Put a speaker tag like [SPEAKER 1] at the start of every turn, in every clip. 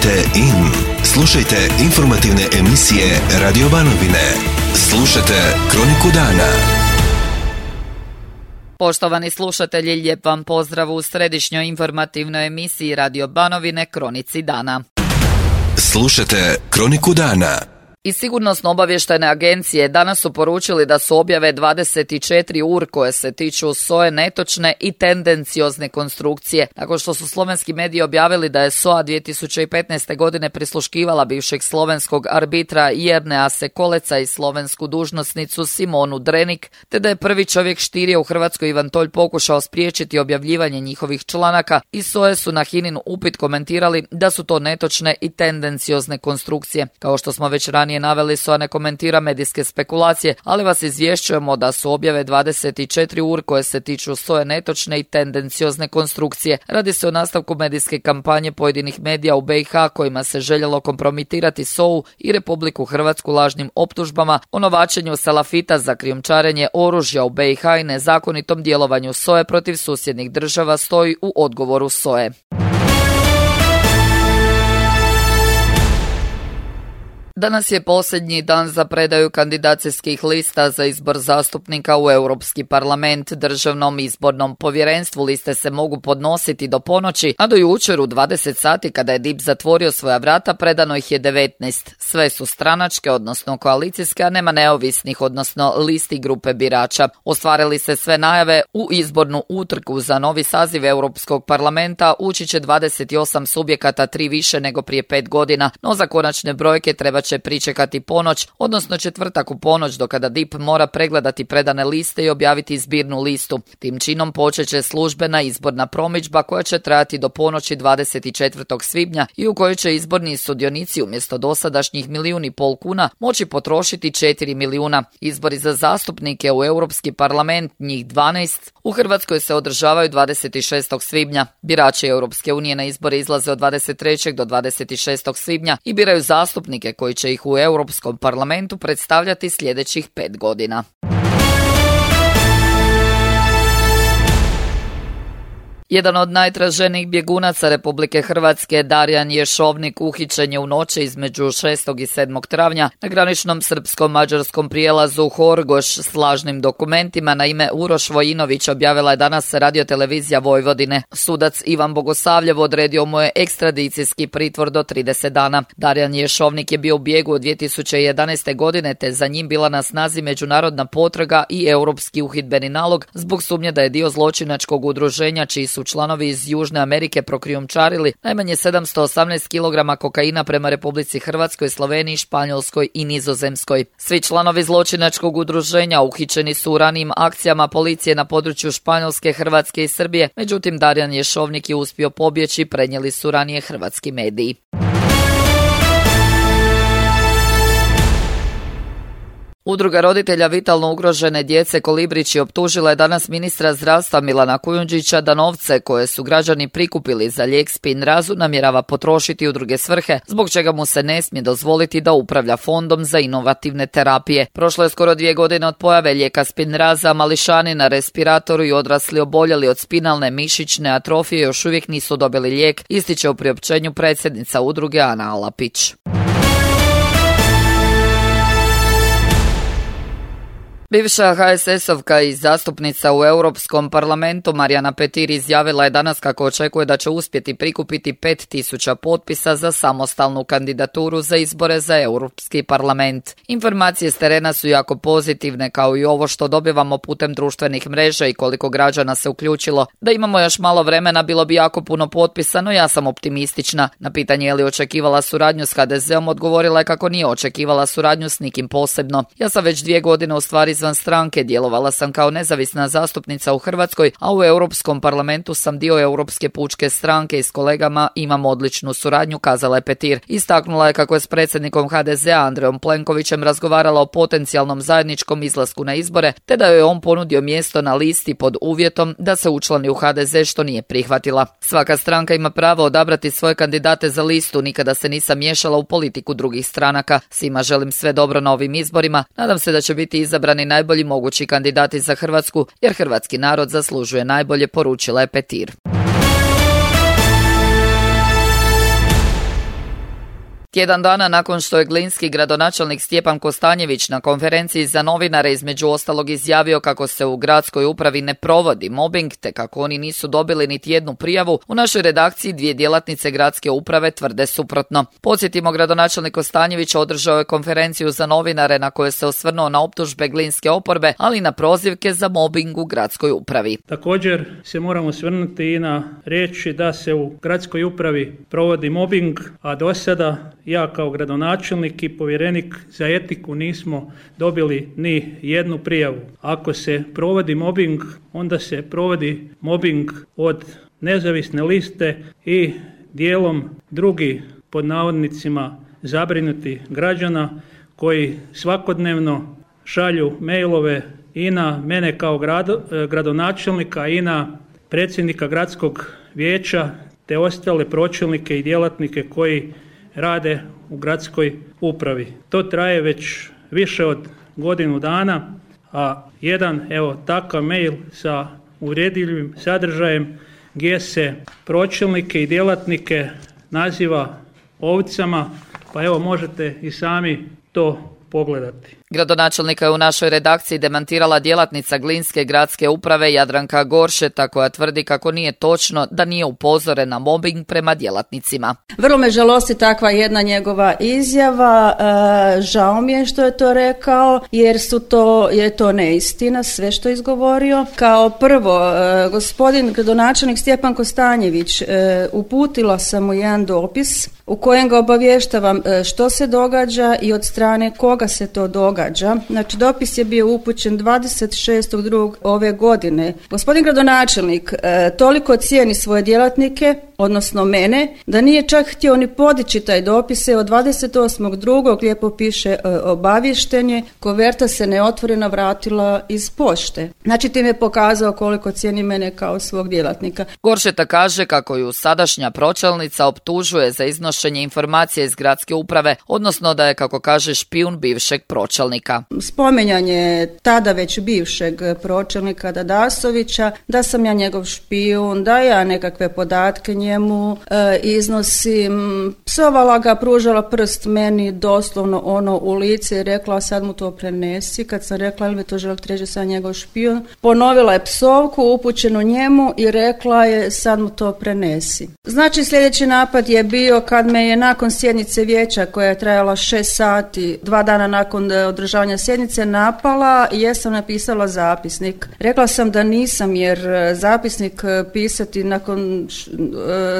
[SPEAKER 1] Tunite in. Slušajte informativne emisije Radio Banovine. Slušajte Kroniku dana.
[SPEAKER 2] Poštovani slušatelji, lijep vam pozdrav u središnjoj informativnoj emisiji Radio Banovine Kronici dana.
[SPEAKER 1] Slušajte Kroniku dana.
[SPEAKER 2] Iz Sigurnosno-obavještajne agencije danas su poručili da su objave 24 ur koje se tiču SOA-e netočne i tendenciozne konstrukcije. Nakon što su slovenski mediji objavili da je SOA 2015. godine prisluškivala bivšeg slovenskog arbitra Jernea Sekoleca i slovensku dužnosnicu Simonu Drenik, te da je prvi čovjek štirije u Hrvatskoj Ivan Tolj pokušao spriječiti objavljivanje njihovih članaka, i SOA-e su na HINA-in upit komentirali da su to netočne i tendenciozne konstrukcije. Kao što smo već ranije naveli, SOA ne komentira medijske spekulacije, ali vas izvješćujemo da su objave 24 ur koje se tiču SOA-e netočne i tendenciozne konstrukcije. Radi se o nastavku medijske kampanje pojedinih medija u BiH kojima se željelo kompromitirati SOA-u i Republiku Hrvatsku lažnim optužbama o novačenju salafita za krijumčarenje oružja u BiH i nezakonitom djelovanju SOA-e protiv susjednih država, stoji u odgovoru SOA-e. Danas je posljednji dan za predaju kandidacijskih lista za izbor zastupnika u Europski parlament. Državnom izbornom povjerenstvu liste se mogu podnositi do ponoći, a do jučer u 20 sati kada je DIP zatvorio svoja vrata predano ih je 19. Sve su stranačke, odnosno koalicijske, a nema neovisnih, odnosno listi grupe birača. Ostvarili se sve najave. U izbornu utrku za novi saziv Europskog parlamenta ući će 28 subjekata, 3 više nego prije 5 godina, no za konačne brojke treba će pričekati ponoć, odnosno četvrtak u ponoć, do kada DIP mora pregledati predane liste i objaviti zbirnu listu. Tim činom počet će službena izborna promidžba koja će trajati do ponoći 24. svibnja i u kojoj će izborni sudionici umjesto dosadašnjih 1,5 milijuna kuna moći potrošiti 4 milijuna. Izbori za zastupnike u Europski parlament, njih 12, u Hrvatskoj se održavaju 26. svibnja. Birači Europske unije na izbore izlaze od 23. do 26. svibnja i biraju zastupnike koji će ih u Europskom parlamentu predstavljati sljedećih 5 godina. Jedan od najtraženijih bjegunaca Republike Hrvatske, Darijan Ješovnik, uhićen je u noći između 6. i 7. travnja na graničnom srpsko-mađarskom prijelazu Horgoš s lažnim dokumentima na ime Uroš Vojinović, objavila je danas radiotelevizija Vojvodine. Sudac Ivan Bogosavljev odredio mu je ekstradicijski pritvor do 30 dana. Darijan Ješovnik je bio u bijegu od 2011. godine, te za njim bila na snazi međunarodna potraga i europski uhidbeni nalog zbog sumnje da je dio zločinačkog udruženja čiji su članovi iz Južne Amerike prokrijumčarili najmanje 718 kg kokaina prema Republici Hrvatskoj, Sloveniji, Španjolskoj i Nizozemskoj. Svi članovi zločinačkog udruženja uhićeni su u ranijim akcijama policije na području Španjolske, Hrvatske i Srbije, međutim Darijan Ješovnik je uspio pobjeći, prenijeli su ranije hrvatski mediji. Udruga roditelja vitalno ugrožene djece Kolibrići optužila je danas ministra zdravstva Milana Kujundžića da novce koje su građani prikupili za lijek Spinrazu namjerava potrošiti u druge svrhe, zbog čega mu se ne smije dozvoliti da upravlja fondom za inovativne terapije. Prošlo je skoro 2 godine od pojave lijeka Spinraza, mališani na respiratoru i odrasli oboljeli od spinalne mišićne atrofije još uvijek nisu dobili lijek, ističe u priopćenju predsjednica udruge Ana Alapić. Bivša HSS-ovka i zastupnica u Europskom parlamentu Marijana Petir izjavila je danas kako očekuje da će uspjeti prikupiti 5.000 potpisa za samostalnu kandidaturu za izbore za Europski parlament. Informacije s terena su jako pozitivne, kao i ovo što dobivamo putem društvenih mreža i koliko građana se uključilo. Da imamo još malo vremena, bilo bi jako puno potpisa, no ja sam optimistična. Na pitanje je li očekivala suradnju s HDZ-om, odgovorila je kako nije očekivala suradnju s nikim posebno. Ja sam već 2 godine u stvari izvan stranke, djelovala sam kao nezavisna zastupnica u Hrvatskoj, a u Europskom parlamentu sam dio Europske pučke stranke i s kolegama imam odličnu suradnju, kazala je Petir. Istaknula je kako je s predsjednikom HDZ-a Andrejom Plenkovićem razgovarala o potencijalnom zajedničkom izlasku na izbore, te da joj je on ponudio mjesto na listi pod uvjetom da se učlani u HDZ, što nije prihvatila. Svaka stranka ima pravo odabrati svoje kandidate za listu, nikada se nisam miješala u politiku drugih stranaka. Svima želim sve dobro na ovim izborima, nadam se da će biti izabrani najbolji mogući kandidati za Hrvatsku, jer hrvatski narod zaslužuje najbolje, poručila je Petir. Tjedan dana nakon što je glinski gradonačelnik Stjepan Kostanjević na konferenciji za novinare između ostalog izjavio kako se u gradskoj upravi ne provodi mobing te kako oni nisu dobili niti jednu prijavu, u našoj redakciji 2 djelatnice gradske uprave tvrde suprotno. Podsjetimo, gradonačelnik Kostanjević održao je konferenciju za novinare na kojoj se osvrnuo na optužbe glinske oporbe, ali i na prozivke za mobing u gradskoj upravi.
[SPEAKER 3] Također se moramo osvrnuti i na riječi da se u gradskoj upravi provodi mobing, a do sada ja kao gradonačelnik i povjerenik za etiku nismo dobili ni jednu prijavu. Ako se provodi mobing, onda se provodi mobing od nezavisne liste i dijelom drugi, pod navodnicima, zabrinuti građana koji svakodnevno šalju mailove i na mene kao gradonačelnika i na predsjednika gradskog vijeća te ostale pročelnike i djelatnike koji rade u gradskoj upravi. To traje već više od godinu dana, a jedan takav mail sa uvredljivim sadržajem gdje se pročelnike i djelatnike naziva ovcama, pa možete i sami to pogledati.
[SPEAKER 2] Gradonačelnika je u našoj redakciji demantirala djelatnica glinske gradske uprave Jadranka Goršeta, koja tvrdi kako nije točno da nije upozoren na mobing prema djelatnicima.
[SPEAKER 4] Vrlo me žalosti takva jedna njegova izjava. Žao mi je što je to rekao, jer je to neistina sve što je izgovorio. Kao prvo, gospodin gradonačelnik Stjepan Kostanjević, uputila sam mu jedan dopis u kojem ga obavještavam što se događa i od strane koga se to događa. Znači, dopis je bio upućen 26.2. ove godine. Gospodin gradonačelnik toliko cijeni svoje djelatnike, odnosno mene, da nije čak htio ni podići taj dopis. Od 28.2. lijepo piše obavještenje, koverta se neotvorena vratila iz pošte. Znači, tim je pokazao koliko cijeni mene kao svog djelatnika.
[SPEAKER 2] Goršeta kaže kako ju sadašnja pročelnica optužuje za iznošenje informacije iz gradske uprave, odnosno da je, kako kaže, špijun bivšeg pročelnika.
[SPEAKER 4] Spominjanje tada već bivšeg pročelnika Dadasovića, da sam ja njegov špijun, da ja nekakve podatke njemu iznosim, psovala ga, pružala prst meni doslovno u lice i rekla sad mu to prenesi. Kad sam rekla ili mi to želite reći sam njegov špijun, ponovila je psovku upućenu njemu i rekla je sad mu to prenesi. Znači, sljedeći napad je bio kad me je nakon sjednice vijeća koja je trajala 6 sati, 2 dana nakon održavanja sjednice, napala i jesam napisala zapisnik. Rekla sam da nisam, jer zapisnik pisati nakon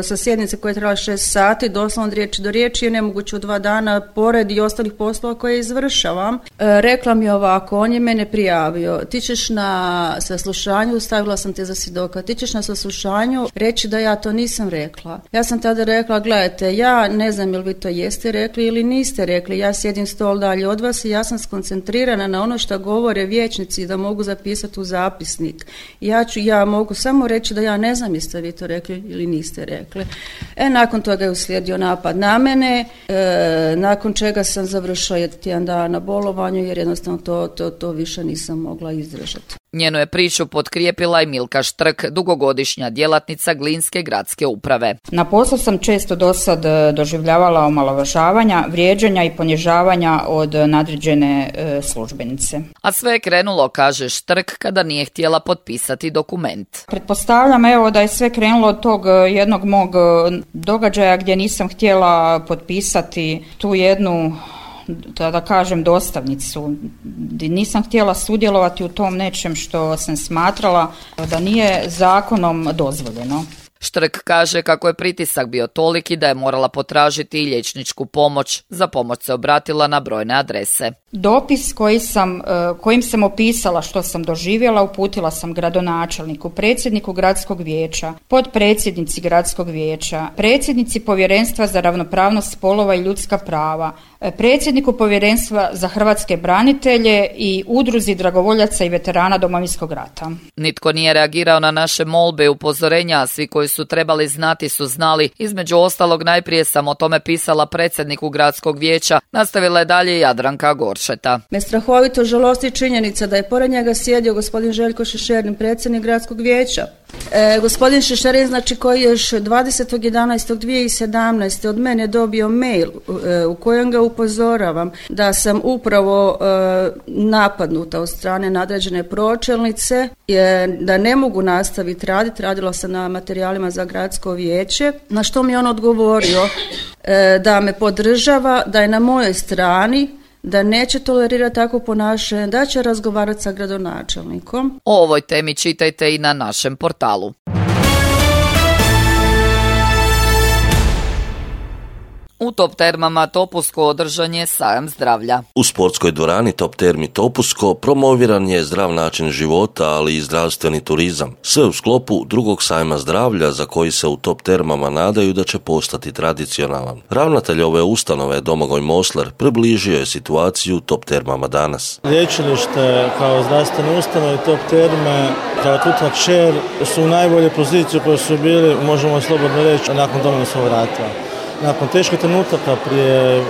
[SPEAKER 4] sa sjednice koja je trajala 6 sati, doslovno od riječi do riječi, je nemoguće u 2 dana pored i ostalih poslova koje izvršavam. Rekla mi ovako, on je mene prijavio, ti ćeš na saslušanju, stavila sam te za svjedoka, ti ćeš na saslušanju reći da ja to nisam rekla. Ja sam tada rekla, gledajte, ja ne znam jel vi to jeste rekli ili niste rekli, ja sjedim stol dalje od vas i ja sam skoncentrirana na ono što govore vijećnici da mogu zapisati u zapisnik. Ja mogu samo reći da ja ne znam jeste vi to rekli ili niste rekli. Nakon toga je uslijedio napad na mene, nakon čega sam završila tjedan dana na bolovanju jer jednostavno to više nisam mogla izdržati.
[SPEAKER 2] Njenu je priču potkrijepila i Milka Štrk, dugogodišnja djelatnica glinske gradske uprave.
[SPEAKER 5] Na poslu sam često dosad doživljavala omalovažavanja, vrijeđanja i ponižavanja od nadređene službenice.
[SPEAKER 2] A sve je krenulo, kaže Štrk, kada nije htjela potpisati dokument.
[SPEAKER 5] Pretpostavljam da je sve krenulo od tog jednog mog događaja gdje nisam htjela potpisati tu jednu, da kažem, dostavnicu. Nisam htjela sudjelovati u tom nečem što sam smatrala da nije zakonom dozvoljeno.
[SPEAKER 2] Štrk kaže kako je pritisak bio toliki da je morala potražiti i liječničku pomoć. Za pomoć se obratila na brojne adrese.
[SPEAKER 5] Dopis kojim sam opisala što sam doživjela uputila sam gradonačelniku, predsjedniku gradskog vijeća, potpredsjednici gradskog vijeća, predsjednici Povjerenstva za ravnopravnost spolova i ljudska prava, predsjedniku Povjerenstva za hrvatske branitelje i udruzi dragovoljaca i veterana Domovinskog rata.
[SPEAKER 2] Nitko nije reagirao na naše molbe i upozorenja, a svi koji su trebali znati su znali. Između ostalog, najprije sam o tome pisala predsjedniku gradskog vijeća, nastavila je dalje Jadranka Goršeta.
[SPEAKER 4] Me strahovito žalosti činjenica da je pored njega sjedio gospodin Željko Šešerin, predsjednik gradskog vijeća. Gospodin Šešarin, znači koji je još 20.11.2017. od mene dobio mail u kojem ga upozoravam da sam upravo napadnuta od strane nadređene pročelnice, da ne mogu nastaviti raditi, radila sam na materijalima za gradsko vijeće, na što mi je on odgovorio da me podržava, da je na mojoj strani, da neće tolerirati takvo ponašanje, da će razgovarati sa gradonačelnikom.
[SPEAKER 2] O ovoj temi čitajte i na našem portalu. U Top Termama Topusko održan je sajam zdravlja.
[SPEAKER 6] U sportskoj dvorani Top Termi Topusko promoviran je zdrav način života, ali i zdravstveni turizam. Sve u sklopu drugog sajma zdravlja za koji se u Top Termama nadaju da će postati tradicionalan. Ravnatelj ove ustanove Domagoj Mosler približio je situaciju u Top Termama danas.
[SPEAKER 7] Lječilište kao zdravstvene ustanove Top Terme kao tuta kćer su u najbolje poziciji koje su bili, možemo slobodno reći, nakon Domovinskog rata. Nakon teških trenutaka prije,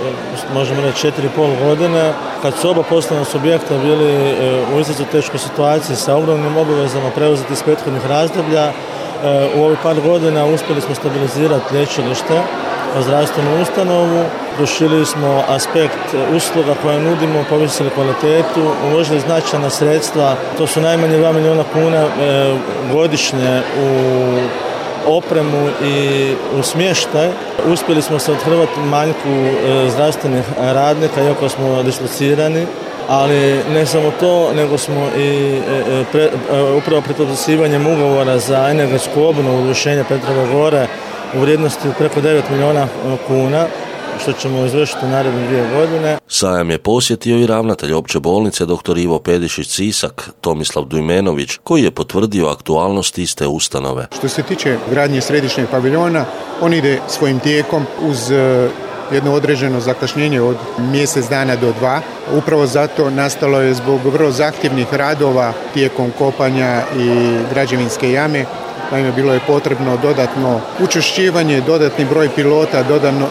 [SPEAKER 7] možemo reći, 4,5 godine, kad su oba poslovna subjekta bili u izuzetno teškoj situaciji sa ogromnim obavezama preuzeti iz prethodnih razdoblja, u ovih par godina uspjeli smo stabilizirati lječilište, zdravstvenu ustanovu, proširili smo aspekt usluga koje nudimo, povisili kvalitetu, uložili značajna sredstva, to su najmanje 2 milijuna kuna godišnje u opremu i u smještaj. Uspjeli smo se othrvati manjku zdravstvenih radnika, iako smo dislocirani, ali ne samo to, nego smo i upravo pred potpisivanjem ugovora za energetsku obnovu rješenja Petrove gore u vrijednosti preko 9 milijuna kuna, što ćemo izvršiti u naredne 2 godine.
[SPEAKER 6] Sajam je posjetio i ravnatelj opće bolnice dr. Ivo Pedišić-Sisak, Tomislav Dujmenović, koji je potvrdio aktualnost iste ustanove.
[SPEAKER 8] Što se tiče gradnje središnjeg paviljona, on ide svojim tijekom uz jedno određeno zakašnjenje od mjesec dana do 2. Upravo zato nastalo je zbog vrlo zahtjevnih radova tijekom kopanja i građevinske jame. Naime, bilo je potrebno dodatno učvršćivanje, dodatni broj pilota,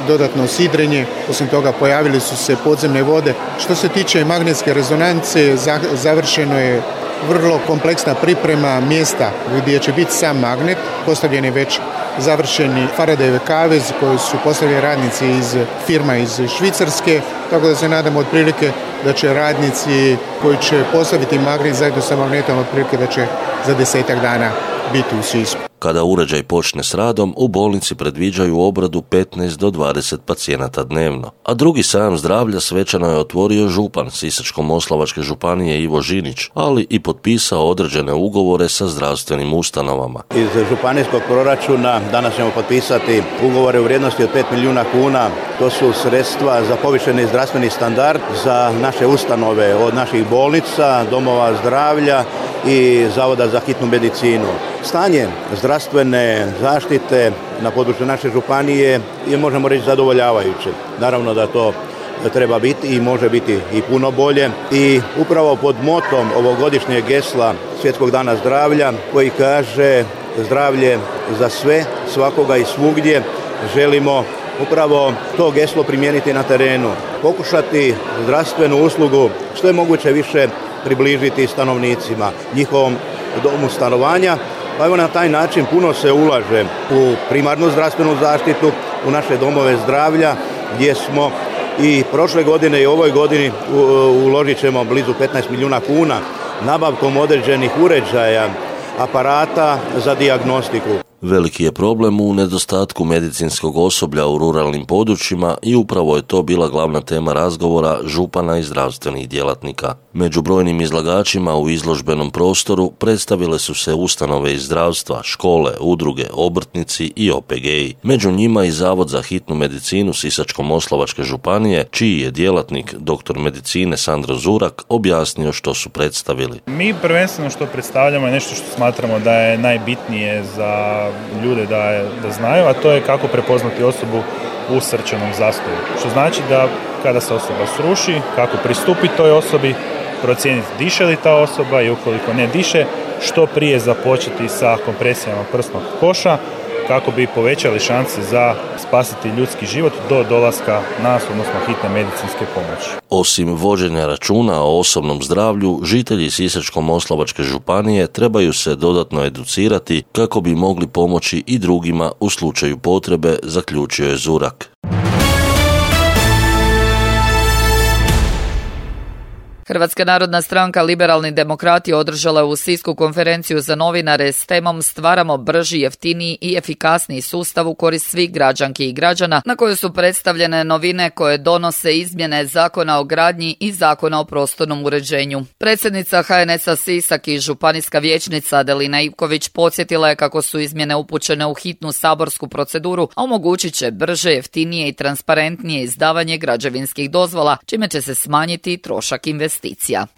[SPEAKER 8] dodatno sidrenje. Osim toga, pojavili su se podzemne vode. Što se tiče magnetske rezonance, završeno je vrlo kompleksna priprema mjesta gdje će biti sam magnet. Postavljen je već završeni Faradayjev kavez koji su postavljeni radnici iz firma iz Švicarske, tako da se nadamo otprilike da će radnici koji će postaviti magnet zajedno sa magnetom otprilike da će za 10-ak dana biti u Sisku.
[SPEAKER 6] Kada uređaj počne s radom, u bolnici predviđaju obradu 15 do 20 pacijenata dnevno. A drugi sajam zdravlja svečano je otvorio župan Sisačko-moslavačke županije Ivo Žinić, ali i potpisao određene ugovore sa zdravstvenim ustanovama.
[SPEAKER 9] Iz županijskog proračuna danas ćemo potpisati ugovore u vrijednosti od 5 milijuna kuna. To su sredstva za povišeni zdravstveni standard za naše ustanove, od naših bolnica, domova zdravlja i Zavoda za hitnu medicinu. Stanje zdravstvene zaštite na području naše županije je, možemo reći, zadovoljavajuće. Naravno da to treba biti i može biti i puno bolje. I upravo pod motom ovogodišnjeg gesla Svjetskog dana zdravlja, koji kaže zdravlje za sve, svakoga i svugdje, želimo upravo to geslo primijeniti na terenu. Pokušati zdravstvenu uslugu što je moguće više približiti stanovnicima, njihovom domu stanovanja. Pa evo, na taj način puno se ulaže u primarnu zdravstvenu zaštitu, u naše domove zdravlja, gdje smo i prošle godine i ovoj godini uložit ćemo blizu 15 milijuna kuna nabavkom određenih uređaja, aparata za dijagnostiku.
[SPEAKER 6] Veliki je problem u nedostatku medicinskog osoblja u ruralnim područjima i upravo je to bila glavna tema razgovora župana i zdravstvenih djelatnika. Među brojnim izlagačima u izložbenom prostoru predstavile su se ustanove iz zdravstva, škole, udruge, obrtnici i OPG-i. Među njima i Zavod za hitnu medicinu Sisačko-moslavačke županije, čiji je djelatnik doktor medicine Sandro Zurak objasnio što su predstavili.
[SPEAKER 10] Mi prvenstveno što predstavljamo je nešto što smatramo da je najbitnije za ljude da znaju, a to je kako prepoznati osobu u srčanom zastoju. Što znači da kada se osoba sruši, kako pristupiti toj osobi, procijeniti diše li ta osoba i ukoliko ne diše, što prije započeti sa kompresijama prsnog koša kako bi povećali šanse za spasiti ljudski život do dolaska nas, odnosno hitne medicinske pomoći.
[SPEAKER 6] Osim vođenja računa o osobnom zdravlju, žitelji Sisačko-moslavačke županije trebaju se dodatno educirati kako bi mogli pomoći i drugima u slučaju potrebe, zaključio je Zurak.
[SPEAKER 2] Hrvatska narodna stranka Liberalni demokrati održala je u Sisku konferenciju za novinare s temom Stvaramo brži, jeftiniji i efikasniji sustav u korist svih građanki i građana, na kojoj su predstavljene novine koje donose izmjene Zakona o gradnji i Zakona o prostornom uređenju. Predsjednica HNS-a Sisak i županijska vijećnica Adelina Ivković podsjetila je kako su izmjene upućene u hitnu saborsku proceduru, a omogućit će brže, jeftinije i transparentnije izdavanje građevinskih dozvola, čime će se smanjiti trošak investicija.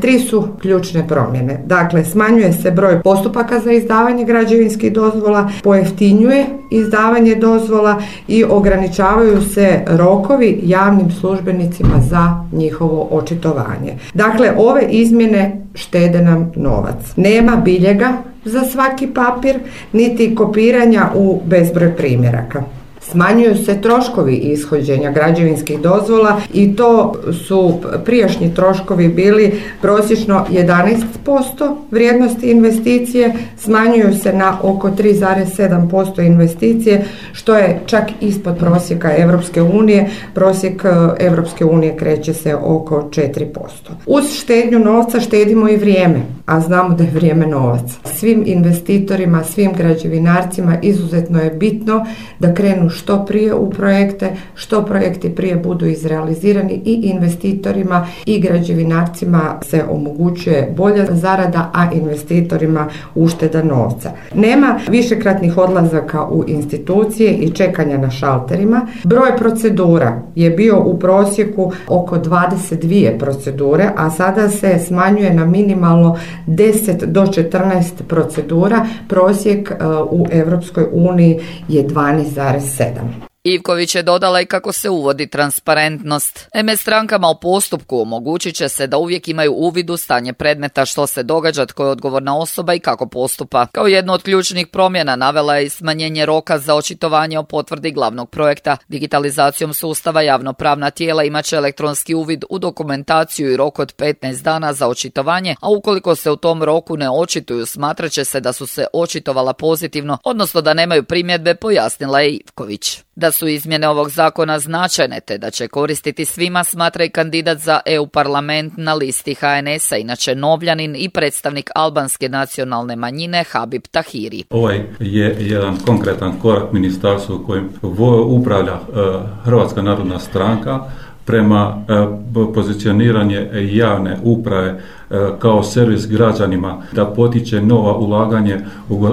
[SPEAKER 11] Tri su ključne promjene. Dakle, smanjuje se broj postupaka za izdavanje građevinskih dozvola, pojeftinjuje izdavanje dozvola i ograničavaju se rokovi javnim službenicima za njihovo očitovanje. Dakle, ove izmjene štede nam novac. Nema biljega za svaki papir, niti kopiranja u bezbroj primjeraka. Smanjuju se troškovi ishođenja građevinskih dozvola i to su prijašnji troškovi bili prosječno 11% vrijednosti investicije, smanjuju se na oko 3,7% investicije, što je čak ispod prosjeka Europske unije. Prosjek Europske unije kreće se oko 4%. Uz štednju novca štedimo i vrijeme, a znamo da je vrijeme novac. Svim investitorima, svim građevinarcima izuzetno je bitno da krenu što prije u projekte, što projekti prije budu izrealizirani i investitorima i građevinarcima se omogućuje bolja zarada, a investitorima ušteda novca. Nema višekratnih odlazaka u institucije i čekanja na šalterima. Broj procedura je bio u prosjeku oko 22 procedure, a sada se smanjuje na minimalno 10 do 14 procedura. Prosjek u Europskoj uniji je 12,7.
[SPEAKER 2] Ivković je dodala i kako se uvodi transparentnost. Strankama u postupku omogućit će se da uvijek imaju uvid u stanje predmeta, što se događa, tko je odgovorna osoba i kako postupa. Kao jednu od ključnih promjena navela je i smanjenje roka za očitovanje o potvrdi glavnog projekta. Digitalizacijom sustava javnopravna tijela imat će elektronski uvid u dokumentaciju i rok od 15 dana za očitovanje, a ukoliko se u tom roku ne očituju, smatrat će se da su se očitovala pozitivno, odnosno da nemaju primjedbe, pojasnila je Ivković. Da su izmjene ovog zakona značajne te da će koristiti svima, smatra i kandidat za EU parlament na listi HNS-a, inače Novljanin i predstavnik albanske nacionalne manjine Habib Tahiri.
[SPEAKER 12] Ovaj je jedan konkretan korak ministarstvu kojim upravlja Hrvatska narodna stranka prema pozicioniranje javne uprave kao servis građanima, da potiče nova ulaganje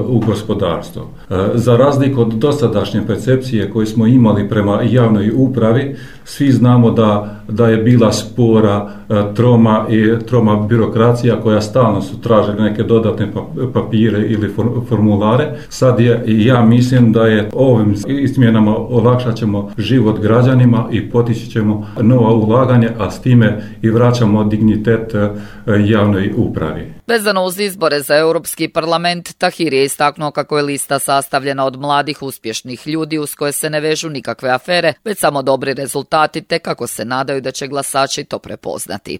[SPEAKER 12] u gospodarstvo. Za razliku od dosadašnje percepcije koju smo imali prema javnoj upravi, svi znamo da je bila spora, troma birokracija koja stalno su tražili neke dodatne papire ili formulare. Sad ja mislim da je ovim izmjenama olakšat ćemo život građanima i potići ćemo nova ulaganja, a s time i vraćamo dignitet javnoj upravi.
[SPEAKER 2] Vezano uz izbore za Europski parlament, Tahir je istaknuo kako je lista sastavljena od mladih uspješnih ljudi uz koje se ne vežu nikakve afere, već samo dobri rezultati, te kako se nadaju da će glasači to prepoznati.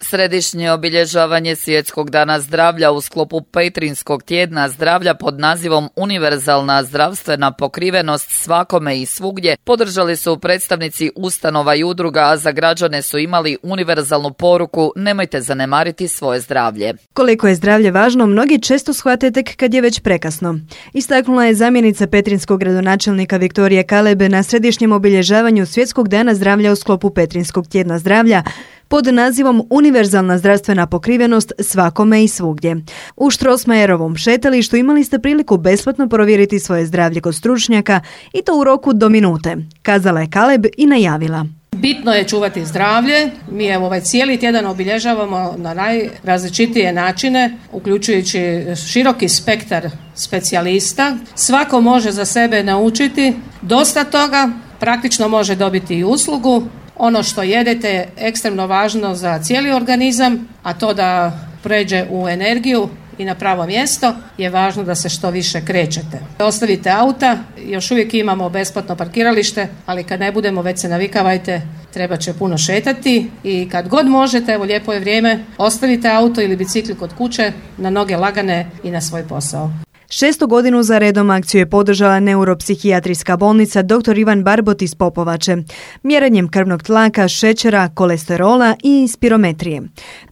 [SPEAKER 2] Središnje obilježavanje Svjetskog dana zdravlja u sklopu Petrinjskog tjedna zdravlja pod nazivom Univerzalna zdravstvena pokrivenost svakome i svugdje podržali su predstavnici ustanova i udruga, a za građane su imali univerzalnu poruku: nemojte zanemariti svoje zdravlje.
[SPEAKER 13] Koliko je zdravlje važno, mnogi često shvate tek kad je već prekasno. Istaknula je zamjenica petrinjskog gradonačelnika Viktorije Kalebe na središnjem obilježavanju Svjetskog dana zdravlja u sklopu Petrinjskog tjedna zdravlja pod nazivom Univerzalna zdravstvena pokrivenost svakome i svugdje. U Strossmayerovom šetalištu imali ste priliku besplatno provjeriti svoje zdravlje kod stručnjaka i to u roku do minute, kazala je Kaleb i najavila.
[SPEAKER 14] Bitno je čuvati zdravlje. Mi ovaj cijeli tjedan obilježavamo na najrazličitije načine, uključujući široki spektar specijalista. Svako može za sebe naučiti dosta toga, praktično može dobiti i uslugu. Ono što jedete je ekstremno važno za cijeli organizam, a to da pređe u energiju i na pravo mjesto je važno da se što više krećete. Ostavite auta, još uvijek imamo besplatno parkiralište, ali kad ne budemo, već se navikavajte, treba će puno šetati i kad god možete, evo lijepo je vrijeme, ostavite auto ili bicikl kod kuće, na noge lagane i na svoj posao.
[SPEAKER 13] 6. godinu za redom akciju je podržala neuropsihijatrijska bolnica dr. Ivan Barbot iz Popovače, mjerenjem krvnog tlaka, šećera, kolesterola i spirometrije.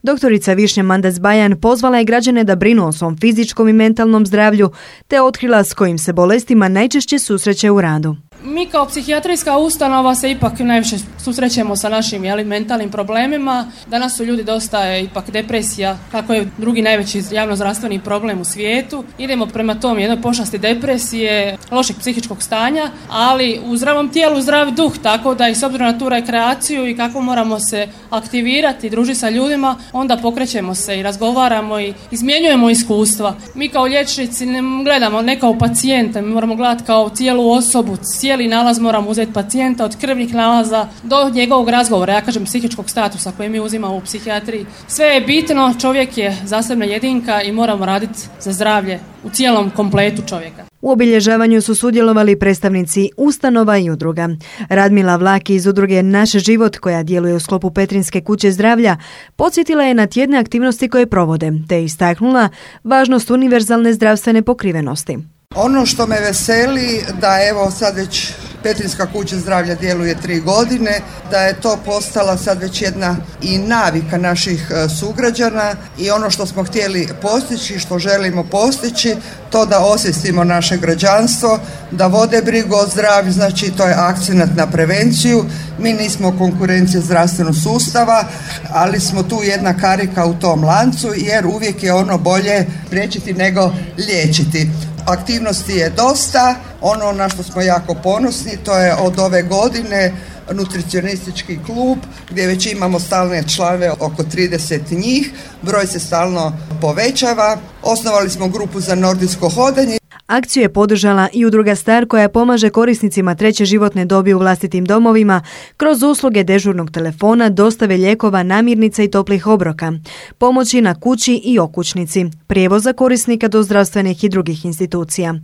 [SPEAKER 13] Doktorica Višnja Mandac-Bajan pozvala je građane da brinu o svom fizičkom i mentalnom zdravlju, te otkrila s kojim se bolestima najčešće susreće u radu.
[SPEAKER 15] Mi kao psihijatrijska ustanova se ipak najviše susrećemo sa našim mentalnim problemima. Danas su ljudi dosta ipak depresija, kako je drugi najveći javnozdravstveni problem u svijetu. Idemo prema tom jednoj pošasti depresije, lošeg psihičkog stanja, ali u zdravom tijelu zdrav duh, tako da i s obzirom na tu rekreaciju i kako moramo se aktivirati i družiti sa ljudima, onda pokrećemo se i razgovaramo i izmjenjujemo iskustva. Mi kao liječnici ne gledamo ne kao pacijenta, mi moramo gledati kao cijelu osobu, cijeli nalaz moramo uzeti pacijenta od krvnih nalaza do njegovog razgovora, ja kažem psihičkog statusa koji mi uzimamo u psihijatriji. Sve je bitno, čovjek je zasebna jedinka i moramo raditi za zdravlje u cijelom kompletu čovjeka.
[SPEAKER 13] U obilježavanju su sudjelovali predstavnici ustanova i udruga. Radmila Vlaki iz udruge Naš život, koja djeluje u sklopu Petrinjske kuće zdravlja, podsjetila je na tjedne aktivnosti koje provode, te istaknula važnost univerzalne zdravstvene pokrivenosti.
[SPEAKER 16] Ono što me veseli da evo sad već Petrinjska kuća zdravlja djeluje 3 godine, da je to postala sad već jedna i navika naših sugrađana i ono što smo htjeli postići, što želimo postići, to da osvijestimo naše građanstvo, da vode brigu o zdravlju, znači to je akcenat na prevenciju. Mi nismo konkurencija zdravstvenog sustava, ali smo tu jedna karika u tom lancu jer uvijek je ono bolje priječiti nego liječiti. Aktivnosti je dosta, ono na što smo jako ponosni to je od ove godine nutricionistički klub gdje već imamo stalne članove, oko 30 njih, broj se stalno povećava, osnovali smo grupu za nordijsko hodanje.
[SPEAKER 13] Akciju je podržala i udruga Star, koja pomaže korisnicima treće životne dobi u vlastitim domovima kroz usluge dežurnog telefona, dostave lijekova, namirnica i toplih obroka, pomoći na kući i okućnici, prijevoza korisnika do zdravstvenih i drugih institucija.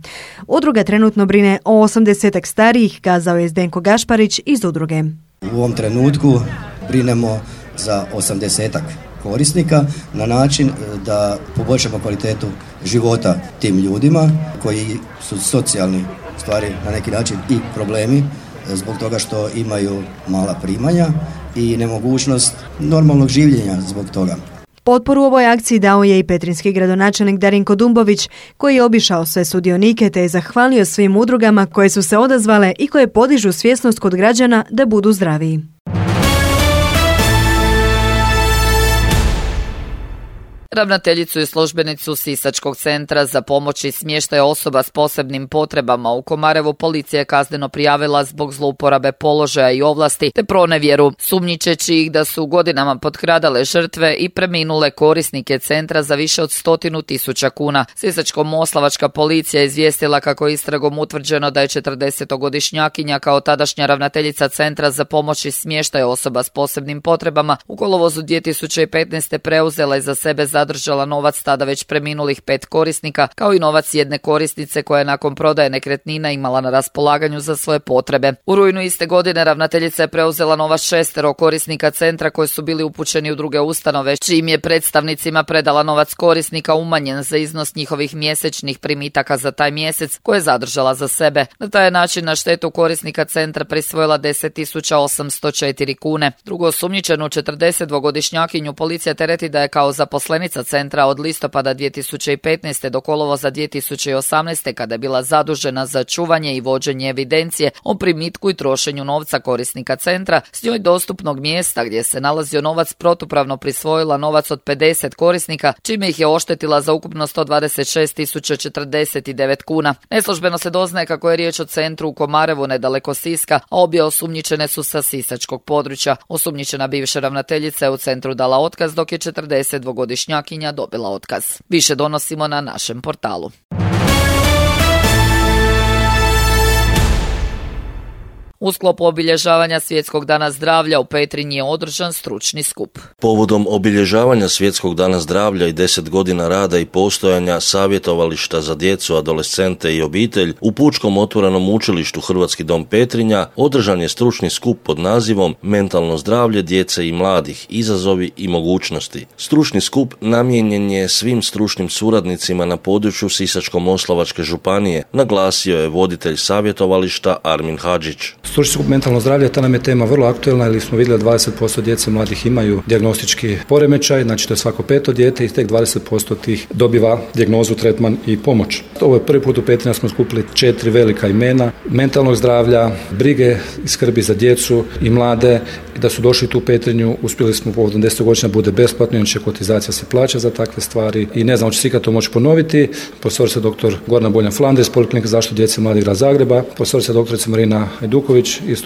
[SPEAKER 13] Udruga trenutno brine o 80 starijih, kazao je Zdenko Gašparić iz udruge.
[SPEAKER 17] U ovom trenutku brinemo za 80 korisnika na način da poboljšamo kvalitetu života tim ljudima koji su socijalni stvari na neki način i problemi zbog toga što imaju mala primanja i nemogućnost normalnog življenja zbog toga.
[SPEAKER 13] Potporu ovoj akciji dao je i petrinjski gradonačelnik Darinko Dumbović, koji je obišao sve sudionike te je zahvalio svim udrugama koje su se odazvale i koje podižu svjesnost kod građana da budu zdraviji.
[SPEAKER 2] Ravnateljicu i službenicu Sisačkog centra za pomoć i smještaj osoba s posebnim potrebama u Komarevu policija je kazneno prijavila zbog zlouporabe položaja i ovlasti te pronevjeru, sumnjičeći ih da su godinama potkradale žrtve i preminule korisnike centra za više od 100.000 kuna. Sisačko-moslavačka policija je izvijestila kako je istragom utvrđeno da je 40-godišnjakinja kao tadašnja ravnateljica centra za pomoć i smještaj osoba s posebnim potrebama u kolovozu 2015. preuzela i za sebe zadržala novac tada već preminulih 5 korisnika, kao i novac jedne korisnice koja je nakon prodaje nekretnina imala na raspolaganju za svoje potrebe. U rujnu iste godine ravnateljica je preuzela novac 6 korisnika centra koji su bili upućeni u druge ustanove, čijim je predstavnicima predala novac korisnika umanjen za iznos njihovih mjesečnih primitaka za taj mjesec koje je zadržala za sebe. Na taj način na štetu korisnika centra prisvojila 10.804 kune. Drugo osumnjičenu 42-godišnjakinju policija tereti da je kao zaposlenica centra od listopada 2015. do kolovoza 2018. kada je bila zadužena za čuvanje i vođenje evidencije o primitku i trošenju novca korisnika centra, s njoj dostupnog mjesta gdje se nalazio novac protupravno prisvojila novac od 50 korisnika, čime ih je oštetila za ukupno 126.049 kuna. Neslužbeno se doznaje kako je riječ o centru u Komarevu nedaleko Siska, a obje osumnjičene su sa sisačkog područja. Osumnjičena bivša ravnateljica je u centru dala otkaz, dok je 42-godišnjakinja dobila otkaz. Više donosimo na našem portalu. U sklopu obilježavanja Svjetskog dana zdravlja u Petrinji je održan stručni skup.
[SPEAKER 6] Povodom obilježavanja Svjetskog dana zdravlja i 10 godina rada i postojanja savjetovališta za djecu, adolescente i obitelj u Pučkom otvorenom učilištu Hrvatski dom Petrinja održan je stručni skup pod nazivom Mentalno zdravlje djece i mladih, izazovi i mogućnosti. Stručni skup namijenjen je svim stručnim suradnicima na području Sisačko-moslavačke županije, naglasio je voditelj savjetovališta Armin Hadžić.
[SPEAKER 18] Stručni skup mentalno zdravlje, ta nam je tema vrlo aktuelna, jer smo vidjeli da 20% djece mladih imaju dijagnostički poremećaj, znači to je svako 5. dijete i tek 20% tih dobiva dijagnozu, tretman i pomoć. Ovo je prvi put u Petrinju smo skupili 4 velika imena mentalnog zdravlja, brige i skrbi za djecu i mlade, i da su došli tu u Petrinju, uspjeli smo povodom 10 godina bude besplatno, inače kotizacija se plaća za takve stvari i ne znam, hoće se ikad to moći ponoviti. Profesorica dr. Gorana Boljan-Flander iz Poliklinike zaštitu djece i mladih grada Zagreba, profesorica doktorica Marina Ajduković iz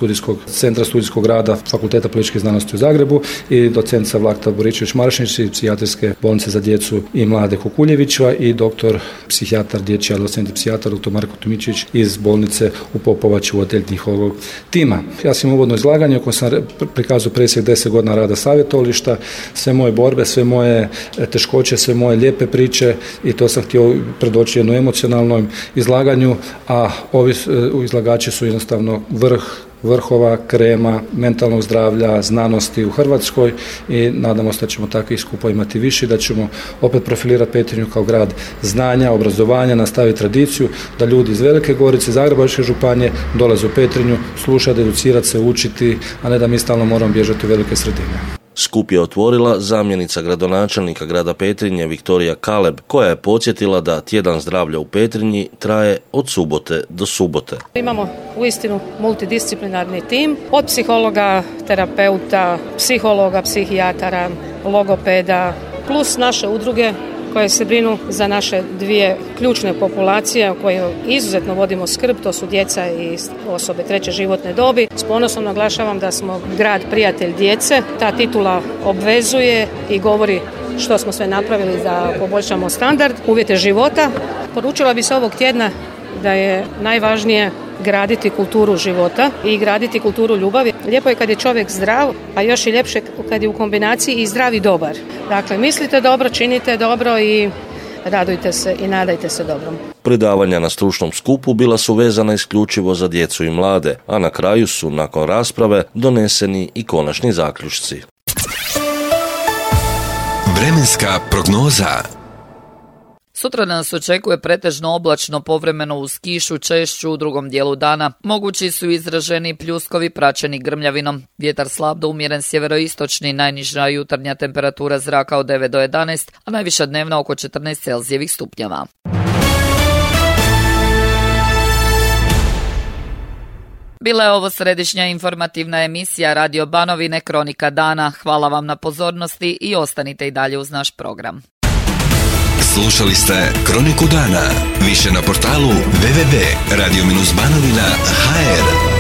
[SPEAKER 18] Centra studijskog rada Fakulteta političkih znanosti u Zagrebu i docentica Vlakta Boričević-Maršinić iz Psihijatrijske bolnice za djecu i mlade Kukuljevića i doktor psihijatar, dječji adolescentni psihijatar dr. Marko Tomičić iz bolnice u Popovači u odjelj njihovog tima. Ja sam uvodno izlaganje u kojem sam prikazao presjek 10 godina rada savjetovališta, sve moje borbe, sve moje teškoće, sve moje lijepe priče, i to sam htio predoći jednom emocionalnom izlaganju, a ovi izlagači su jednostavno vrhova krema mentalnog zdravlja, znanosti u Hrvatskoj, i nadamo se da ćemo takvih skupa imati više, da ćemo opet profilirati Petrinju kao grad znanja, obrazovanja, nastaviti tradiciju, da ljudi iz Velike Gorice, Zagrebačke županije dolaze u Petrinju, slušati, educirati se, učiti, a ne da mi stalno moramo bježati u velike sredine.
[SPEAKER 6] Skup je otvorila zamjenica gradonačelnika grada Petrinje Viktorija Kaleb, koja je podsjetila da tjedan zdravlja u Petrinji traje od subote do subote.
[SPEAKER 14] Imamo uistinu multidisciplinarni tim od psihologa, terapeuta, psihologa, psihijatara, logopeda, plus naše udruge koje se brinu za naše dvije ključne populacije o kojoj izuzetno vodimo skrb, to su djeca i osobe treće životne dobi. S ponosom naglašavam da smo grad prijatelj djece. Ta titula obvezuje i govori što smo sve napravili da poboljšamo standard, uvjete života. Poručila bi se ovog tjedna da je najvažnije graditi kulturu života i graditi kulturu ljubavi. Lijepo je kad je čovjek zdrav, a još i ljepše kad je u kombinaciji i zdrav i dobar. Dakle, mislite dobro, činite dobro i radujte se i nadajte se dobrom.
[SPEAKER 6] Predavanja na stručnom skupu bila su vezana isključivo za djecu i mlade, a na kraju su, nakon rasprave, doneseni i konačni zaključci.
[SPEAKER 1] Vremenska prognoza.
[SPEAKER 2] Sutra nas očekuje pretežno oblačno, povremeno uz kišu, češću u drugom dijelu dana. Mogući su izraženi pljuskovi praćeni grmljavinom. Vjetar slab do umjeren sjeveroistočni, najniža jutarnja temperatura zraka od 9 do 11, a najviša dnevna oko 14 Celzijevih stupnjeva. Bila je ovo središnja informativna emisija Radio Banovine Kronika dana. Hvala vam na pozornosti i ostanite i dalje uz naš program.
[SPEAKER 1] Slušali ste Kroniku dana. Više na portalu www.radio-banovina.hr.